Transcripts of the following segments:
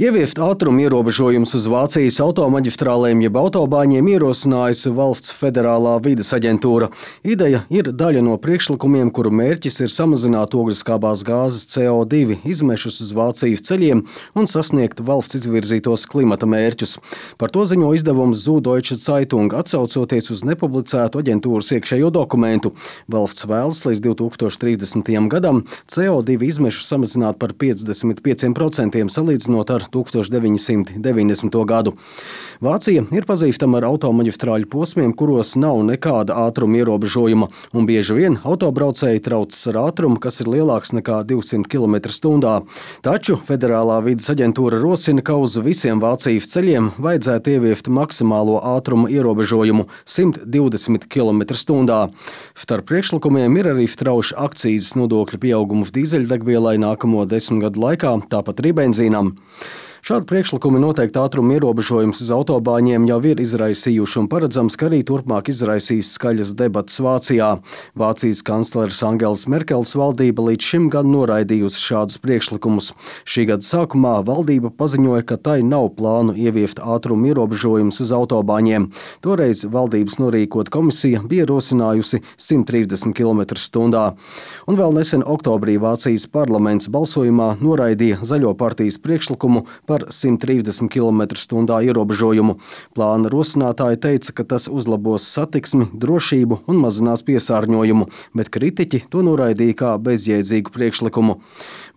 Ieviest ātruma ierobežojumus uz Vācijas automaģistrālēm jeb autobāņiem ierosinājusi Valsts federālā vides aģentūra. Ideja ir daļa no priekšlikumiem, kuru mērķis ir samazināt ogleskābās gāzes CO2 izmešus uz Vācijas ceļiem un sasniegt valsts izvirzītos klimata mērķus. Par to ziņo izdevums Süddeutsche Zeitung, atsaucoties uz nepublicētu aģentūras iekšējo dokumentu. Valsts vēlas līdz 2030. gadam CO2 izmešus samazināt par 55% salīdzinot ar 1990. gadu. Vācija ir pazīstama ar automaģistrāļu posmiem, kuros nav nekāda ātruma ierobežojuma, un bieži vien autobraucēji traucas ar ātrumu, kas ir lielāks nekā 200 km/h. Taču Federālā vides aģentūra rosina, ka uz visiem Vācijas ceļiem vajadzētu ieviest maksimālo ātruma ierobežojumu 120 km/h. Starp priekšlikumiem ir arī strauša akcīzes nodokļu pieaugums dīzeļdegvielai nākamo 10 gadu laikā, tāpat arī benzīnam. Šādi priekšlikumi noteikti ātruma ierobežojums uz autobāņiem jau ir izraisījuši un paredzams, ka arī turpmāk izraisīs skaļas debatas Vācijā. Vācijas kancleres Angelas Merkeles valdība līdz šim gan noraidījusi šādus priekšlikumus. Šī gada sākumā valdība paziņoja, ka tai nav plānu ieviest ātruma ierobežojumus uz autobāņiem. Toreiz valdības norīkot komisija bija rosinājusi 130 km/h. Un vēl nesen oktobrī Vācijas parlaments balsojumā noraidīja Zaļo partijas priekšlikumu par 130 km/h ierobežojumu. Plāna rosinātāji teica, ka tas uzlabos satiksmi, drošību un mazinās piesārņojumu, bet kritiķi to noraidīja kā bezjēdzīgu priekšlikumu.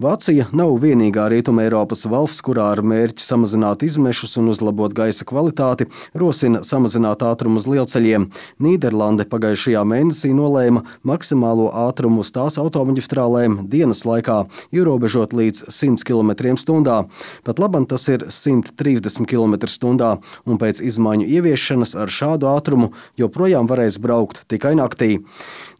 Vācija nav vienīgā Rietuma Eiropas valsts, kurā ar mērķi samazināt izmešus un uzlabot gaisa kvalitāti rosina samazināt ātrumu uz lielceļiem. Nīderlande pagājušajā mēnesī nolēma maksimālo ātrumu uz tās automaģistrālēm dienas laikā ierobežot līdz 100 km/h. Pat labam tas ir 130 km/h, un pēc izmaiņu ieviešanas ar šādu ātrumu joprojām varēs braukt tikai naktī.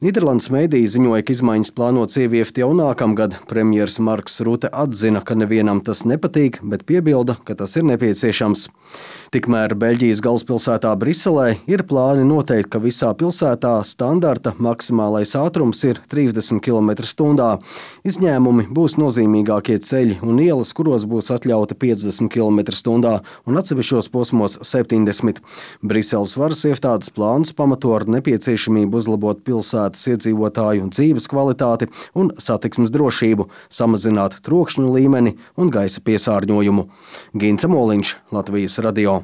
Nīderlandes mēdīji ziņoja, ka izmaiņas plānotas ieviest jau nākamgad. Premjers Marks Rute atzina, ka nevienam tas nepatīk, bet piebilda, ka tas ir nepieciešams. Tikmēr Beļģijas galvaspilsētā Briselē ir plāni noteikt, ka visā pilsētā standarta maksimālais ātrums ir 30 km/h. Izņēmumi būs nozīmīgākie ceļi un ielas, kuros būs atļauti 50 km/h un atsevišķos posmos 70. Briseles varas iestādes plānus pamato ar nepieciešamību uzlabot pilsētas iedzīvotāju dzīves kvalitāti un satiksmes drošību, samazināt trokšņu līmeni un gaisa piesārņojumu. Gints Moliņš, Latvijas radio.